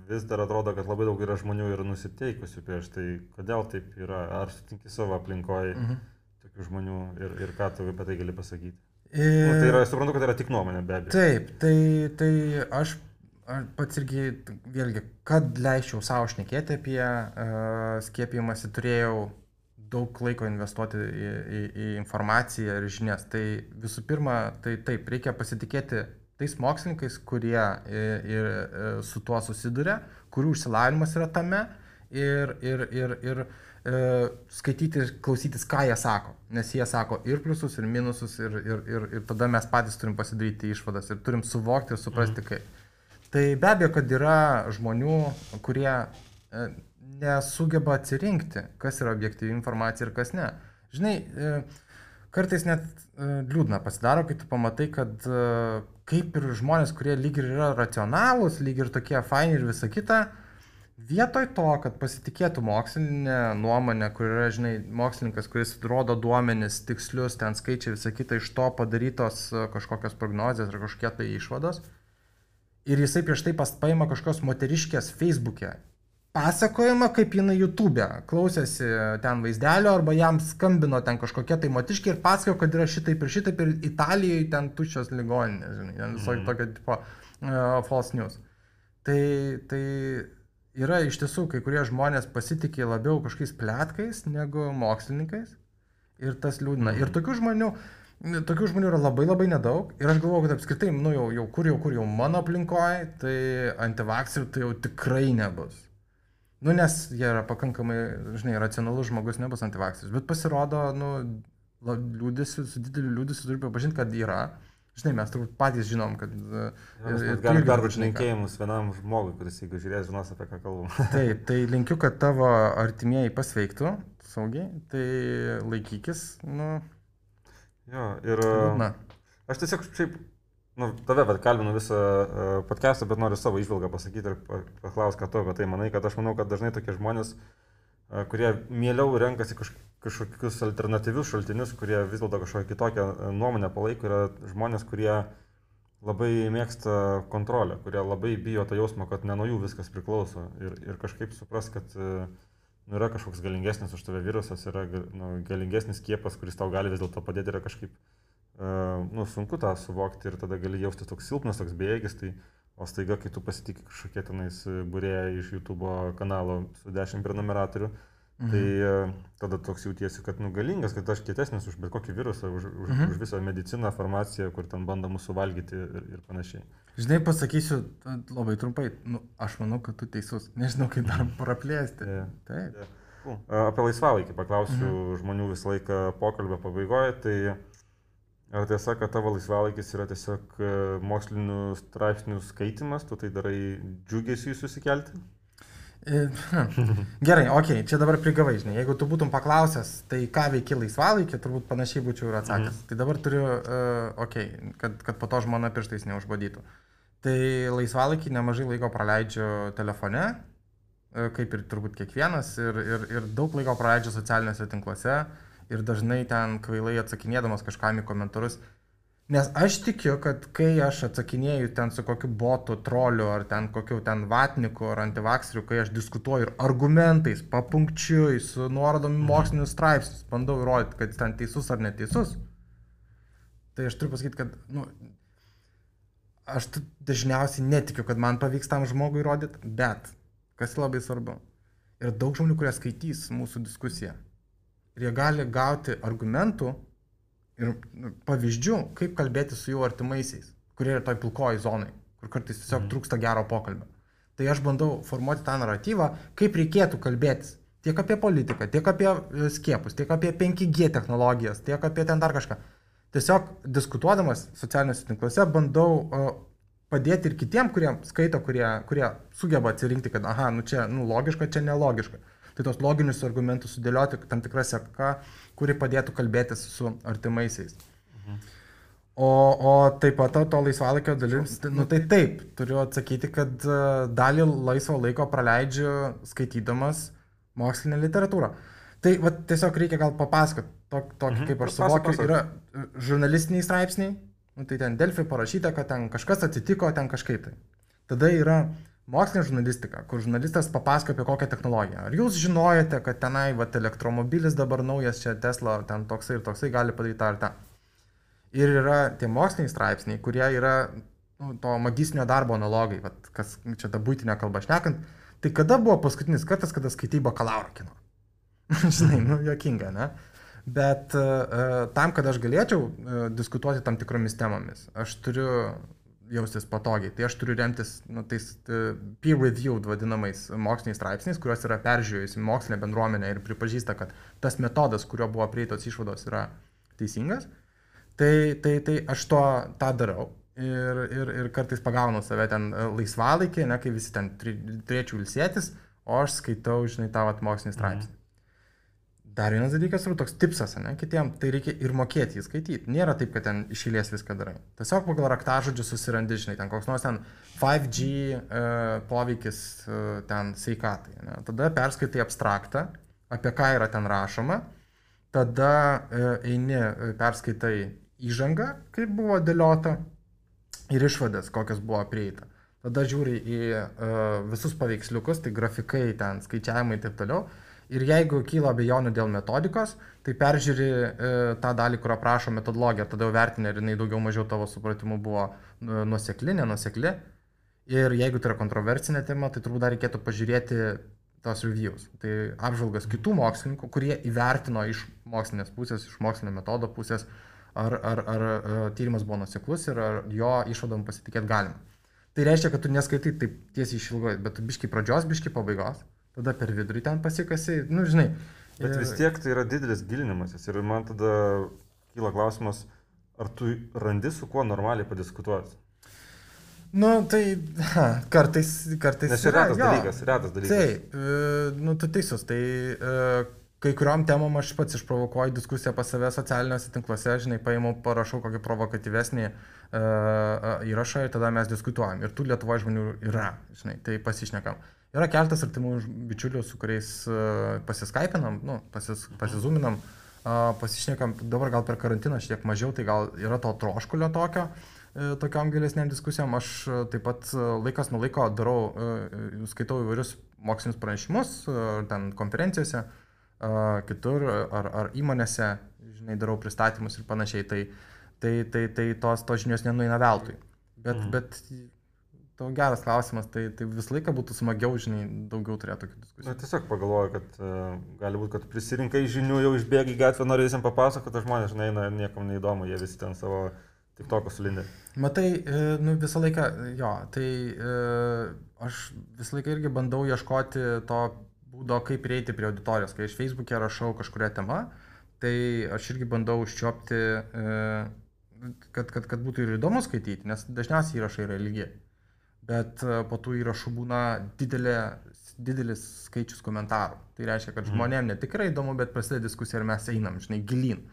vis dar atrodo, kad labai daug yra žmonių ir nusiteikusių prieš tai. Kodėl taip yra? Ar sutinki savo aplinkoje tokių žmonių ir ką tu apie tai gali pasakyti? Tai yra, suprantu, kad yra tik nuomonė, be abejo. Taip, tai aš pats irgi, vėlgi, kad leisčiau savo šnekėti apie skiepijimąsi, turėjau daug laiko investuoti į informaciją ir žinias. Tai visų pirma, tai taip, reikia pasitikėti tais mokslininkais, kurie su tuo susiduria, kurių išsilavinimas yra tame ir skaityti ir klausytis, ką jie sako. Nes jie sako ir pliusus, ir minusus, ir tada mes patys turim pasidaryti išvadas ir turim suvokti ir suprasti, kaip. Tai be abejo, kad yra žmonių, kurie nesugeba atsirinkti, kas yra objektyvi informacija ir kas ne. Žinai, kartais net liūdna pasidaro, kai tu pamatai, kad kaip ir žmonės, kurie lyg ir yra racionalūs, lyg ir tokie faini ir visa kita, vietoj to, kad pasitikėtų mokslinė nuomonė, kur yra, žinai, mokslininkas, kuris rodo duomenis, tikslius, ten skaičiai, visą kitą, iš to padarytos kažkokios prognozės ar kažkokie tai išvados. Ir jisai prieš tai paima kažkokios moteriškės Facebook'e pasakojimą, kaip jinai YouTube'e klausėsi ten vaizdelio arba jam skambino ten kažkokie tai moteriškiai ir pasakojo, kad yra šitaip ir Italijoje ten tuščios ligoninės, žinai, ten visokio tokio tipo false news. Tai yra iš tiesų, kai kurie žmonės pasitikė labiau kažkokiais pletkais negu mokslininkais ir tas liūdna. Ir tokių žmonių yra labai labai nedaug ir aš galvoju, kad apskritai, kur jau mano aplinkoje, tai antivakserių tai jau tikrai nebus. Nes jie yra pakankamai, žinai, racionalus žmogus, nebus antivakseris, bet pasirodo, su dideliu liūdesiu turiu pripažinti, kad yra. Žinai, mes turbūt patys žinom, kad... Galim perduoti linkėjimus vienam žmogui, kuris, jeigu žiūrės, žinos, apie ką kalbam. Taip, tai linkiu, kad tavo artimieji pasveiktų saugiai, tai laikykis, Jo, ir... Aš tiesiog šiaip, tave kalbinu visą podcastą, bet noriu savo įžvalgą pasakyti ir paklausti, ką tu apie tai manai, kad aš manau, kad dažnai tokie žmonės, kurie mieliau renkasi kažkokius alternatyvius šaltinius, kurie vis dėlto kažkokią kitokią nuomonę palaiko, yra žmonės, kurie labai mėgsta kontrolę, kurie labai bijo to jausmo, kad ne nuo jų viskas priklauso ir kažkaip supras, kad yra kažkoks galingesnis už tave virusas, yra galingesnis skiepas, kuris tau gali vis dėlto padėti, yra kažkaip sunku tą suvokti ir tada gali jaustis toks silpnas, toks bejėgis, tai O staiga, kai tu pasitikė kažkokie tenais būrėjai iš YouTube kanalo su 10 prenumeratorių, tai tada toks jautiesi, kad galingas, kad aš kietesnis už bet kokį virusą, už visą mediciną, farmaciją, kur ten bando mūsų valgyti ir panašiai. Žinai, pasakysiu labai trumpai, aš manau, kad tu teisus, nežinau, kaip dar praplėsti. Taip. Apie laisvalaikį paklausiu žmonių visą laiką pokalbio pabaigoje, tai ar tiesa, kad tavo laisvalaikis yra tiesiog mokslinių straipsnių skaitimas, tu tai darai džiugesiui susikelti? Gerai, okei, čia dabar prigavai, žinai, jeigu tu būtum paklausęs, tai ką veiki laisvalaikį, turbūt panašiai būčiau ir atsakęs. Tai dabar turiu, kad po to žmona pirštais neužbadytų. Tai laisvalaikį nemažai laiko praleidžiu telefone, kaip ir turbūt kiekvienas, ir daug laiko praleidžiu socialiniuose tinkluose ir dažnai ten kvailai atsakinėdamas kažkam į komentarus. Nes aš tikiu, kad kai aš atsakinėju ten su kokiu botu, troliu, ar ten kokiu ten vatniku, ar antivakseriu, kai aš diskutuoju ir argumentais, papunkčiui, su nuorodomi mokslinius straipsnius, bandau įrodyti, kad jis ten teisus ar neteisus, tai aš turiu pasakyti, kad, aš dažniausiai netikiu, kad man pavyks tam žmogui įrodyti, bet, kas labai svarbu, yra daug žmonių, kurie skaitys mūsų diskusiją. Ir jie gali gauti argumentų ir pavyzdžių, kaip kalbėti su jų artimaisiais, kurie yra toj pilkoji zonai, kur kartais tiesiog trūksta gero pokalbio. Tai aš bandau formuoti tą naratyvą, kaip reikėtų kalbėtis tiek apie politiką, tiek apie skiepus, tiek apie 5G technologijas, tiek apie ten dar kažką. Tiesiog diskutuodamas socialiniuose tinkluose bandau padėti ir kitiem, kurie skaito, kurie sugeba atsirinkti, kad čia logiška, čia nelogiška. Tai tos loginius argumentus sudėlioti tam tikrą seką, kuri padėtų kalbėtis su artimaisiais. O taip pat to laisvalaikio dalims, tai taip, turiu atsakyti, kad dalį laisvo laiko praleidžiu skaitydamas mokslinę literatūrą. Tai tiesiog reikia gal papasakoti, tokį kaip aš suvokiu, yra žurnalistiniai straipsniai, tai ten Delfi parašyta, kad ten kažkas atsitiko, ten kažkaip tai. Tada yra mokslinė žurnalistika, kur žurnalistas papasako apie kokią technologiją. Ar jūs žinojate, kad tenai elektromobilis dabar naujas čia Tesla, ten toksai ir toksai gali padaryti tą ar tą. Ir yra tie moksliniai straipsniai, kurie yra to magistrinio darbo analogai, kas čia ta buitinė kalba šnekant. Tai kada buvo paskutinis kartas, kada skaitai bakalauro kino? Žinai, juokinga, ne? Bet tam, kad aš galėčiau diskutuoti tam tikromis temomis, aš turiu jaustis patogiai. Tai aš turiu remtis tais peer-reviewed vadinamais moksliniais straipsniais, kuriuos yra peržiūrėjusi mokslinė bendruomenė ir pripažįsta, kad tas metodas, kurio buvo prieitos išvados, yra teisingas. Tai aš tą darau ir kartais pagaunu save ten laisvalaikį, kai visi ten turėčiau ilsėtis, o aš skaitau, žinai, tą mokslinį straipsnį. Dar vienas dalykas yra toks tipsas, kitiem, tai reikia ir mokėti jį skaityti. Nėra taip, kad ten iš eilės viską darai. Tiesiog pagal raktažodžių susirandi, žinai, ten koks nors ten 5G poveikis ten sveikatai. Tada perskaitai abstraktą, apie ką yra ten rašoma, tada eini, perskaitai įžangą, kaip buvo dėliota, ir išvadas, kokios buvo prieita. Tada žiūri į visus paveiksliukus, tai grafikai, ten skaičiavimai ir taip toliau. Ir jeigu kyla abejonių dėl metodikos, tai peržiūri tą dalį, kur aprašo metodologiją, tada jau vertini, ar jinai daugiau mažiau tavo supratimu buvo nuosekli, nenuosekli. Ir jeigu tai yra kontroversinė tema, tai turbūt dar reikėtų pažiūrėti tos reviews. Tai apžvalgas kitų mokslininkų, kurie įvertino iš mokslinės pusės, iš mokslinio metodo pusės, ar tyrimas buvo nuoseklus ir ar jo išvadom pasitikėti galima. Tai reiškia, kad tu neskaitai taip tiesiai išilgai, bet tu biški pradžios, biški pabaigos. Tada per vidurį ten pasikasi, žinai. Bet vis tiek tai yra didelis gilinimasis ir man tada kyla klausimas, ar tu randi su kuo normaliai padiskutuoti? Tai kartais... Nes yra retas dalykas. Taip, tu teisus, tai kai kuriuom temom aš pats išprovokuoju diskusiją pas save socialiniuose tinkluose, žinai, paimu, parašau kokį provokatyvesnį įrašą ir tada mes diskutuojam. Ir tų Lietuvoje žmonių yra, žinai, tai pasišnekam. Yra keltas artimų bičiulių, su kuriais pasiskaipinam, pasizūminam, pasišnekam, dabar gal per karantiną šiek tiek mažiau, tai gal yra to troškulio tokiam gilesniam diskusijom. Aš taip pat laikas nuo laiko darau, skaitau įvairius mokslinius pranešimus, ten konferencijose, kitur, ar įmonėse, žinai, darau pristatymus ir panašiai, tai tos žinios nenueina veltui. Bet tavo geras klausimas, tai visą laiką būtų smagiau, žinai, daugiau turėti tokių diskusijų. Na, tiesiog pagalvoju, kad gali būti, kad prisirinkai žinių, jau išbėgi į gatvę, nori visiems papasakoti, žmonės, žinai, niekam neįdomu, jie visi ten savo TikTok'o sulindė. Matai, nu visą laiką, jo, tai aš visą laiką irgi bandau ieškoti to būdo, kaip prieiti prie auditorijos. Kai aš Facebook'e rašau kažkuria tema, tai aš irgi bandau užčiopti, kad būtų ir įdomu skaityti, nes dažniausiai įrašai yra ilgi. Bet po tų įrašų būna didelis skaičius komentarų. Tai reiškia, kad žmonėm ne tikrai įdomu, bet prasideda diskusija ir mes einam, žinai, gilin.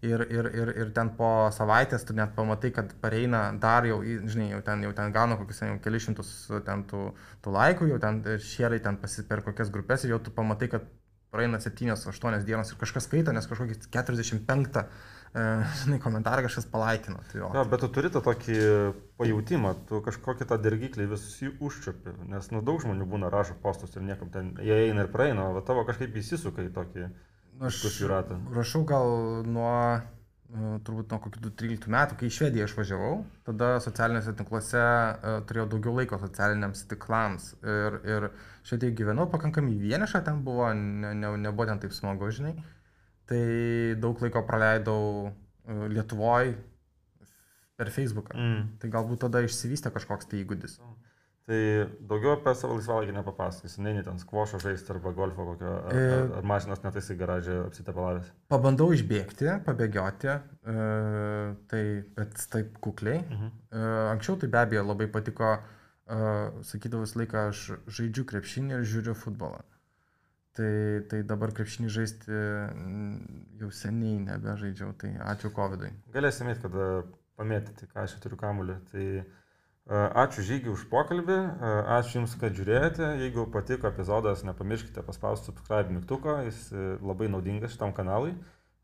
Ir ten po savaitės tu net pamatai, kad pareina dar jau, žinai, jau ten gauna kokius kelius šimtus ten tų laikų, jau ten šėrai ten per kokias grupės ir jau tu pamatai, kad praeina 7-8 dienos ir kažkas skaito, nes kažkokį 45 komentarą kažkas palaikino. Tai ja, bet tu turi tą tokį pajautimą, tu kažkokį tą dirgiklį visus jį užčiupi, nes daug žmonių būna rašo postus ir niekam ten, jie eina ir praeina, o tavo kažkaip įsisuka į tokį diskusijų ratą. Aš rašau gal turbūt nuo kokių 13 metų, kai į Švediją išvažiavau, tada socialiniuose tinkluose turėjau daugiau laiko socialiniams tinklams ir Švedijoje gyvenau pakankamai vienišą, ten buvo, nebuvo ten taip smagu, žinai. Tai daug laiko praleidau Lietuvoje per Facebooką. Tai galbūt tada išsivystė kažkoks tai įgūdis. Tai daugiau apie savo laisvalaikį nepapasakysi, neini ten skvošo žaisti arba golfo kokio, ar mašinos netaisai garažė apsitepalavęs? Pabandau išbėgti, pabėgioti, bet taip kukliai. Anksčiau tai be abejo labai patiko, sakydavau visą laiką, aš žaidžiu krepšinį ir žiūriu futbolą. Tai dabar krepšinį žaisti jau seniai nebežaidžiau, tai ačiū Covidui. Galėsim eiti, kada pamėtyti, ką aš turiu kamuolį. Tai ačiū Žygiui už pokalbį, ačiū Jums, kad žiūrėjote. Jeigu patiko epizodas, nepamirškite paspausti subscribe mygtuką, jis labai naudingas šitam kanalui.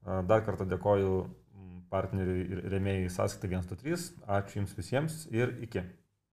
Dar kartą dėkoju partneriui ir rėmėjui Sąskaita 123. Ačiū Jums visiems ir iki.